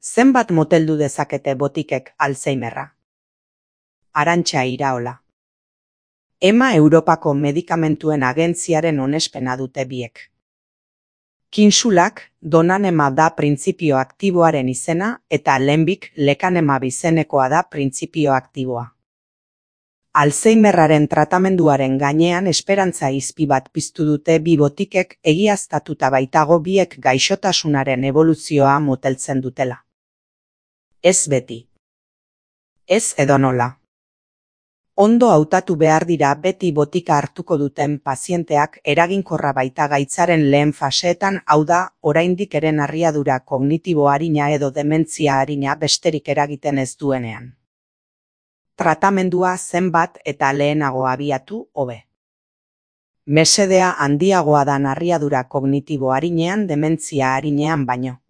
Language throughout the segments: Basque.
Zenbat moteldu dezakete botikek Alzheimerra? Arantxa Iraola. EMA Europako Medikamentuen Agentziaren onespena dute biek. Kinsulak donanema da printzipio aktiboaren izena eta lehenbik lecanemab izenekoa da printzipio aktiboa. Alzheimerraren tratamenduaren gainean esperantza izpi bat piztu dute bi botikek egiaztatuta baitago biek gaixotasunaren eboluzioa moteltzen dutela. Ez beti. Ez edonola. Ondo hautatu behar dira beti botika hartuko duten pazienteak eraginkorra baita gaitzaren lehen faseetan, hau da, oraindik ere narriadura kognitibo arina edo dementzia arina besterik eragiten ez duenean. Tratamendua zenbat eta lehenago abiatu, hobe. Mesedea handiagoa da narriadura kognitibo arinean dementzia arinean baino.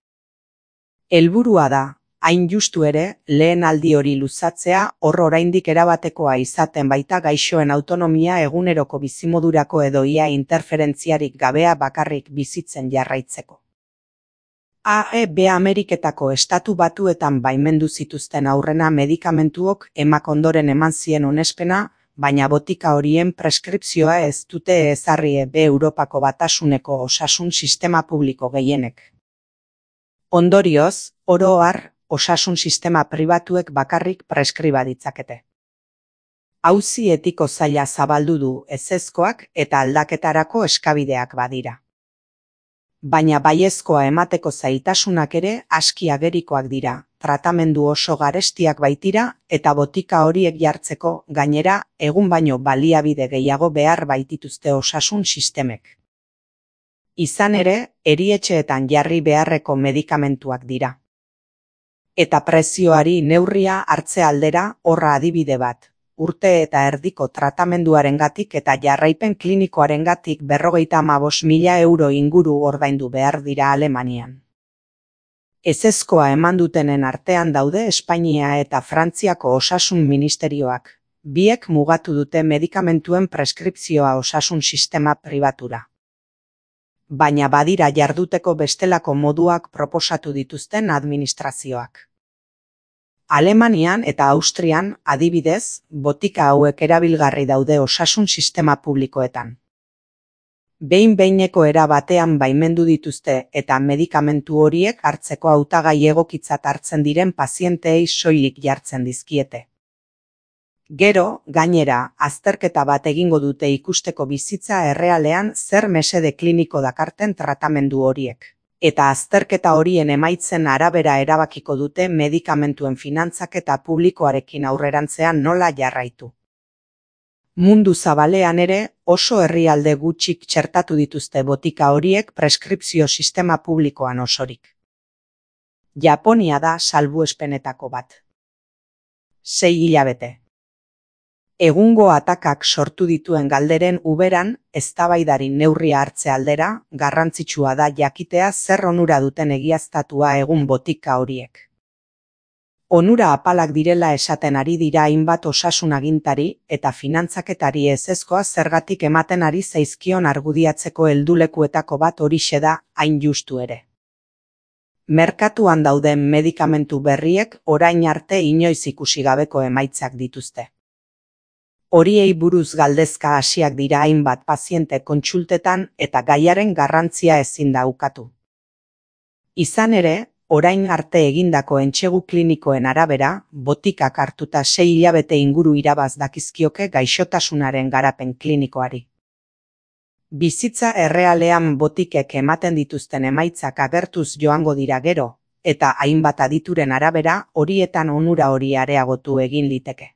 Helburua da, hain justu ere, lehen aldi hori luzatzea hor oraindik erabatekoa izaten baita gaixoen autonomia eguneroko bizimodurako edo ia interferentziarik gabea bakarrik bizitzen jarraitzeko. AEB Ameriketako Estatu Batuetan baimendu zituzten aurrena medikamentuok EMAk ondoren eman zien onespena, baina botika horien preskripzioa ez dute ezarri EB Europako Batasuneko osasun sistema publiko gehienek. Ondorioz, oro har, osasun sistema pribatuek bakarrik preskriba ditzakete. Auzi etiko zaila zabaldu du ezezkoak eta aldaketarako eskabideak badira. Baina baiezkoa emateko zailtasunak ere aski agerikoak dira, tratamendu oso garestiak baitira eta botika horiek jartzeko gainera egun baino baliabide gehiago behar baitituzte osasun sistemek. Izan ere, erietxeetan jarri beharreko medikamentuak dira. Eta prezioari neurria hartze aldera horra adibide bat, urte eta erdiko tratamenduarengatik eta jarraipen klinikoarengatik 55.000 euro inguru ordaindu behar dira Alemanian. Ezezkoa eman dutenen artean daude Espainia eta Frantziako osasun ministerioak, biek mugatu dute medikamentuen preskripzioa osasun sistema pribatura. Baina badira jarduteko bestelako moduak proposatu dituzten administrazioak. Alemanian eta Austrian, adibidez, botika hauek erabilgarri daude osasun sistema publikoetan. Behin-behineko era batean baimendu dituzte eta medikamentu horiek hartzeko hautagai egokitzat hartzen diren pazienteei soilik jartzen dizkiete. Gero, gainera, azterketa bat egingo dute ikusteko bizitza errealean zer mesede kliniko dakarten tratamendu horiek. Eta azterketa horien emaitzen arabera erabakiko dute medikamentuen finantzaketa publikoarekin aurrerantzean nola jarraitu. Mundu zabalean ere oso herrialde gutxik txertatu dituzte botika horiek preskripzio sistema publikoan osorik. Japonia da salbuespenetako bat. 6 hilabete. Egungo atakak sortu dituen galderen uberan, eztabaidari neurria hartze aldera, garrantzitsua da jakitea zer onura duten egiaztatua egun botika horiek. Onura apalak direla esaten ari dira hainbat osasun agintari eta finantzaketari ezezkoa zergatik ematen ari zaizkion argudiatzeko heldulekuetako bat horixe da, hain justu ere. Merkatuan dauden medikamentu berriek orain arte inoiz ikusi gabeko emaitzak dituzte. Horiei buruz galdezka hasiak dira hainbat paziente kontsultetan eta gaiaren garrantzia ezin da ukatu. Izan ere, orain arte egindako entsegu klinikoen arabera, botikak hartuta 6 hilabete inguru irabaz dakizkioke gaixotasunaren garapen klinikoari. Bizitza errealean botikek ematen dituzten emaitzak agertuz joango dira gero, eta hainbat adituren arabera horietan onura hori areagotu egin liteke.